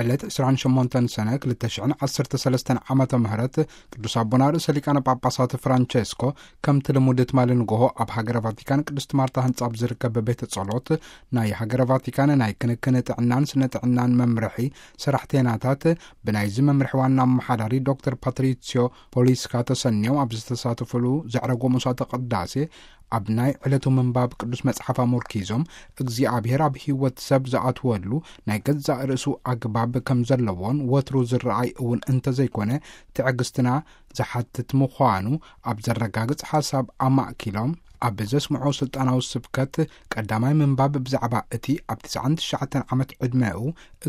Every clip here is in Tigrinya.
ዕለት ዕስራን ሸሞንተን ሰነ ክልተ ሽሕን ዓሰርተ ሰለስተን ዓመተ ምህረት ቅዱስ ኣቦና ርእሰ ሊቃነ ጳጳሳት ፍራንቸስኮ ከምቲ ልሙድ ትማሊ ንግሆ ኣብ ሃገረ ቫቲካን ቅድስት ማርታ ህንጻ ኣብ ዝርከብ ቤተ ጸሎት ናይ ሃገረ ቫቲካን ናይ ክንክን ጥዕናን ስነ ጥዕናን መምርሒ ሰራሕተይናታት ብናይዚ መምርሒ ዋና ኣመሓዳሪ ዶክተር ፓትሪሲዮ ፖሊስካ ተሰንዮም ኣብ ዝተሳተፉሉ ዘዕረጎ መስዋዕተ ቅዳሴ ኣብ ናይ ዕለቱ ምንባብ ቅዱስ መጽሓፍ ኣመርኪዞም እግዚኣብሔር ኣብ ህይወት ሰብ ዝኣትወሉ ናይ ገዛእ ርእሱ ኣግባብ ከም ዘለዎን ወትሩ ዝረኣይ እውን እንተዘይኮነ ትዕግስትና ዝሓትት ምዃኑ ኣብ ዘረጋግጽ ሓሳብ ኣማእኪሎም ኣብ ዘስምዖ ስልጣናዊ ስብከት ቀዳማይ ምንባብ ብዛዕባ እቲ ኣብ ትስዓን ትሽዓተን ዓመት ዕድመኡ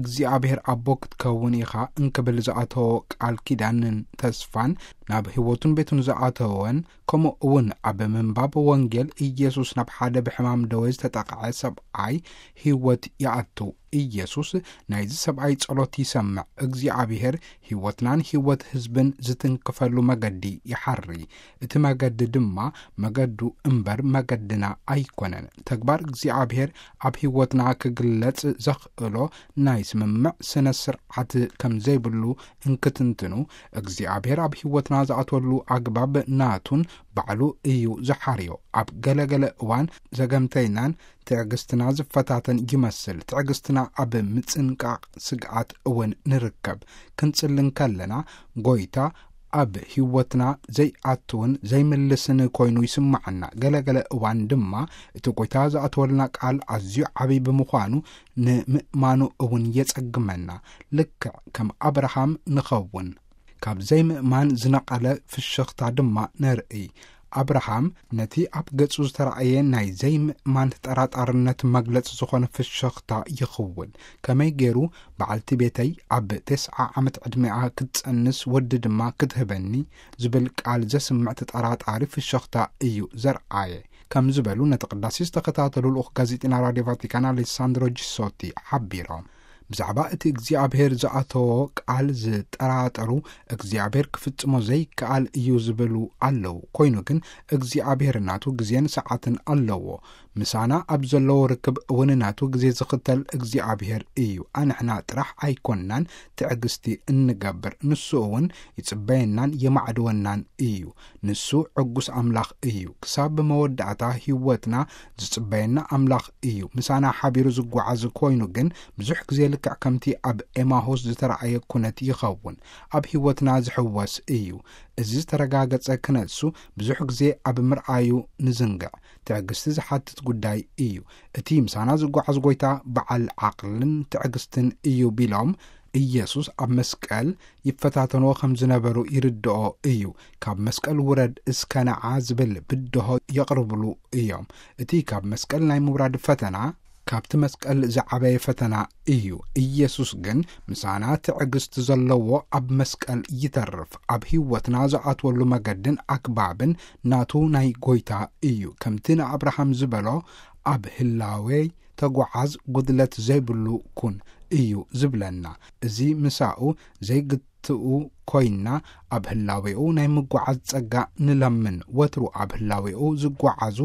እግዚኣብሔር ኣቦ ክትከውን ኢኻ እንክብል ዝኣተዎ ቃል ኪዳንን ተስፋን ናብ ህይወቱን ቤቱን ዝኣተወን ከምኡ እውን ኣብ ምንባብ ወንጌል ኢየሱስ ናብ ሓደ ብሕማም ደዌ ዝተጠቕዐ ሰብኣይ ህይወት ይኣቱ። ኢየሱስ ናይዚ ሰብኣይ ጸሎት ይሰምዕ። እግዚኣብሔር ህይወትናን ህይወት ህዝብን ዝትንክፈሉ መገዲ ይሓሪ። እቲ መገዲ ድማ መገዱ እምበር መገድና ኣይኮነን። ተግባር እግዚኣብሔር ኣብ ህይወትና ክግለጽ ዘኽእሎ ናይ ስምምዕ ስነ ስርዓት ከም ዘይብሉ እንክትንትኑ፣ እግዚኣብሔር ኣብ ህይወትና ዝኣትወሉ ኣግባብ ናቱን ባዕሉ እዩ ዝሓርዮ። ኣብ ገለገለ እዋን ዘገምተይናን ትዕግስትና ዝፈታተን ይመስል። ትዕግስትና ኣብ ምጽንቃቕ ስግኣት እውን ንርከብ። ክንጽሊ እንከለና ጎይታ ኣብ ህይወትና ዘይኣትውን ዘይምልስን ኮይኑ ይስምዓና። ገለገለ እዋን ድማ እቲ ጎይታ ዝኣተወልና ቃል ኣዝዩ ዓብዪ ብምዃኑ ንምእማኑ እውን የጸግመና። ልክዕ ከም ኣብርሃም ንኸውን። ካብ ዘይምእማን ዝነቐለ ፍሽኽታ ድማ ነርኢ። ኣብርሃም ነቲ ኣብ ገጹ ዝተራእየ ናይ ዘይምእማን ተጠራጣርነት መግለጺ ዝኾነ ፍሽኽታ ይኽውን። ከመይ ገይሩ በዓልቲ ቤተይ ኣብ ተስዓ ዓመት ዕድሜኣ ክትጸንስ ወዲ ድማ ክትህበኒ ዝብል ቃል ዘስምዕ ተጠራጣሪ ፍሽኽታ እዩ ዘርኣየ። ከም ዝበሉ ነቲ ቅዳሴ ዝተኸታተሉ ልኡኽ ጋዜጠኛ ራድዮ ቫቲካን ኣሌሳንድሮ ጂሶቲ ሓቢሮም። ብዛዕባ እቲ እግዚኣብሔር ዝኣተዎ ቃል ዝጠራጠሩ እግዚኣብሔር ክፍጽሞ ዘይከኣል እዩ ዝብሉ ኣለዉ። ኮይኑ ግን እግዚኣብሔር ናቱ ግዜን ሰዓትን ኣለዎ። ምሳና ኣብ ዘለዎ ርክብ እውን ናቱ ግዜ ዝኽተል እግዚኣብሔር እዩ። ኣንሕና ጥራሕ ኣይኮንናን ትዕግስቲ እንገብር፣ ንሱ እውን ይጽበየናን የማዕድወናን እዩ። ንሱ ዕጉስ ኣምላኽ እዩ። ክሳብ መወዳእታ ህይወትና ዝጽበየና ኣምላኽ እዩ። ምሳና ሓቢሩ ዝጓዓዝ ኮይኑ ግን ብዙሕ ግዜ ልክዕ ከምቲ ኣብ ኤማሁስ ዝተረኣየ ኩነት ይኸውን። ኣብ ህይወትና ዝሕወስ እዩ። እዚ ዝተረጋገጸ ክነሱ ብዙሕ ግዜ ኣብ ምርኣዩ ንዝንግዕ። ትዕግስቲ ዝሓትት ጉዳይ እዩ። እቲ ምሳና ዝጓዓዝ ጎይታ በዓል ዓቕልን ትዕግስትን እዩ ቢሎም ኢየሱስ ኣብ መስቀል ይፈታተንዎ ከም ዝነበሩ ይርድኦ እዩ። ካብ መስቀል ውረድ እስከ ንዓ ዝብል ብድሆ የቕርብሉ እዮም። እቲ ካብ መስቀል ናይ ምውራድ ፈተና ካብቲ መስቀል ዝዓበየ ፈተና እዩ። ኢየሱስ ግን ምሳና ትዕግስቲ ዘለዎ ኣብ መስቀል ይተርፍ። ኣብ ህይወትና ዝኣትወሉ መገድን ኣግባብን ናቱ ናይ ጎይታ እዩ። ከምቲ ንኣብርሃም ዝበሎ ኣብ ህላዌይ ተጓዓዝ፣ ጉድለት ዘይብሉ ኩን እዩ ዝብለና። እዚ ምሳኡ ዘይግትኡ ኮይንና ኣብ ህላዌኡ ናይ ምጓዓዝ ጸጋ ንለምን። ወትሩ ኣብ ህላዌኡ ዝጓዓዙ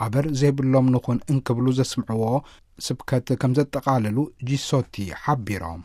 ኣበር ዘይብሎም ንኹን እንክብሉ ዘስምዕዎ ስብከት ከም ዘጠቓልሉ ጂሶቲ ሓቢሮም።